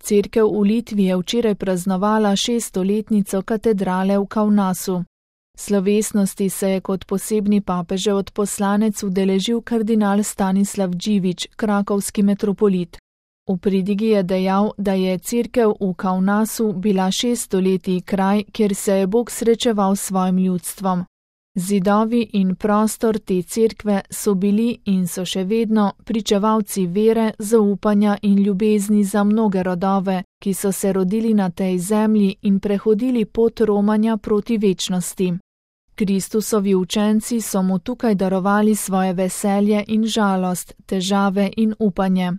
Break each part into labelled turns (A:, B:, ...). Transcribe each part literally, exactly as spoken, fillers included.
A: Cerkev v Litvi je včeraj praznovala šeststoletnico katedrale v Kaunasu. Slovesnosti se je kot posebni papežev odposlanec udeležil kardinal Stanislav Dživić, krakovski metropolit. V pridigi je dejal, da je cerkev v Kaunasu bila šest stoletij kraj, kjer se je Bog srečeval s svojim ljudstvom. Zidovi in prostor te cerkve so bili in so še vedno pričevalci vere, zaupanja in ljubezni za mnoge rodove, ki so se rodili na tej zemlji in prehodili pot romanja proti večnosti. Kristusovi učenci so mu tukaj darovali svoje veselje in žalost, težave in upanje.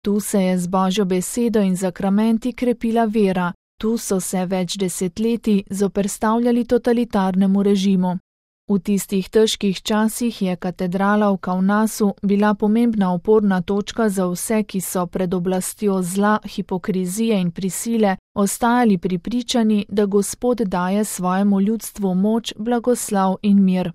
A: Tu se je z Božjo besedo in zakramenti krepila vera, tu so se več desetletij zoperstavljali totalitarnemu režimu. V tistih težkih časih je katedrala v Kaunasu bila pomembna oporna točka za vse, ki so pred oblastjo zla, hipokrizije in prisile ostajali prepričani, da Gospod daje svojemu ljudstvu moč, blagoslav in mir.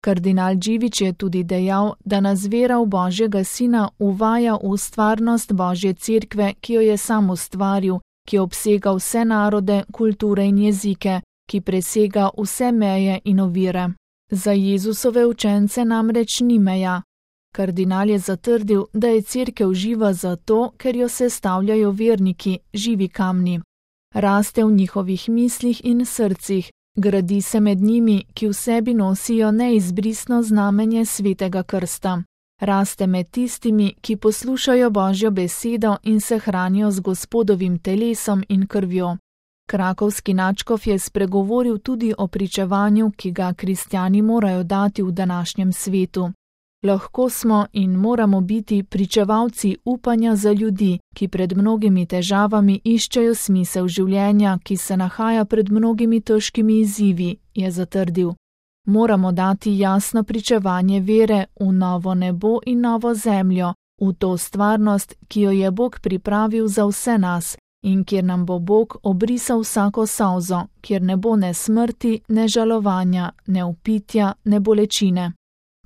A: Kardinal Dživić je tudi dejal, da nas vera v Božjega Sina uvaja v stvarnost Božje cerkve, ki jo je sam ustvaril, ki obsega vse narode, kulture in jezike, ki presega vse meje in ovire. Za Jezusove učence namreč ni meja. Kardinal je zatrdil, da je cerkev živa zato, ker jo sestavljajo verniki, živi kamni. Raste v njihovih mislih in srcih, gradi se med njimi, ki v sebi nosijo neizbrisno znamenje svetega krsta. Raste med tistimi, ki poslušajo Božjo besedo in se hranijo z Gospodovim telesom in krvjo. Krakovski nadškof je spregovoril tudi o pričevanju, ki ga kristjani morajo dati v današnjem svetu. Lahko smo in moramo biti pričevalci upanja za ljudi, ki pred mnogimi težavami iščejo smisel življenja, ki se nahaja pred mnogimi težkimi izzivi, je zatrdil. Moramo dati jasno pričevanje vere v novo nebo in novo zemljo, v to stvarnost, ki jo je Bog pripravil za vse nas, in kjer nam bo Bog obrisal vsako solzo, kjer ne bo ne smrti, ne žalovanja, ne vpitja, ne bolečine.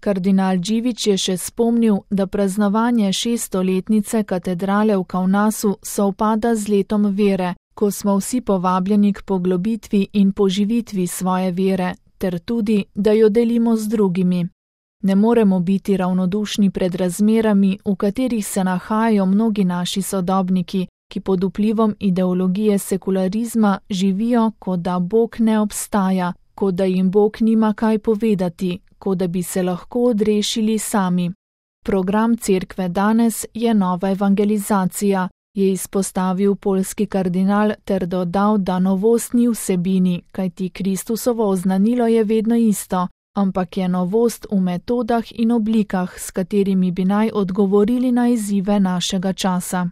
A: Kardinal Dživić je še spomnil, da praznovanje šeststoletnice katedrale v Kaunasu sovpada z letom vere, ko smo vsi povabljeni k poglobitvi in poživitvi svoje vere, ter tudi, da jo delimo z drugimi. Ne moremo biti ravnodušni pred razmerami, v katerih se nahajajo mnogi naši sodobniki, ki pod vplivom ideologije sekularizma živijo, kot da Bog ne obstaja, kot da jim Bog nima kaj povedati, kot da bi se lahko odrešili sami. Program cerkve danes je nova evangelizacija, je izpostavil poljski kardinal ter dodal, da novost ni vsebini, kajti Kristusovo oznanilo je vedno isto, ampak je novost v metodah in oblikah, s katerimi bi naj odgovorili na izzive našega časa.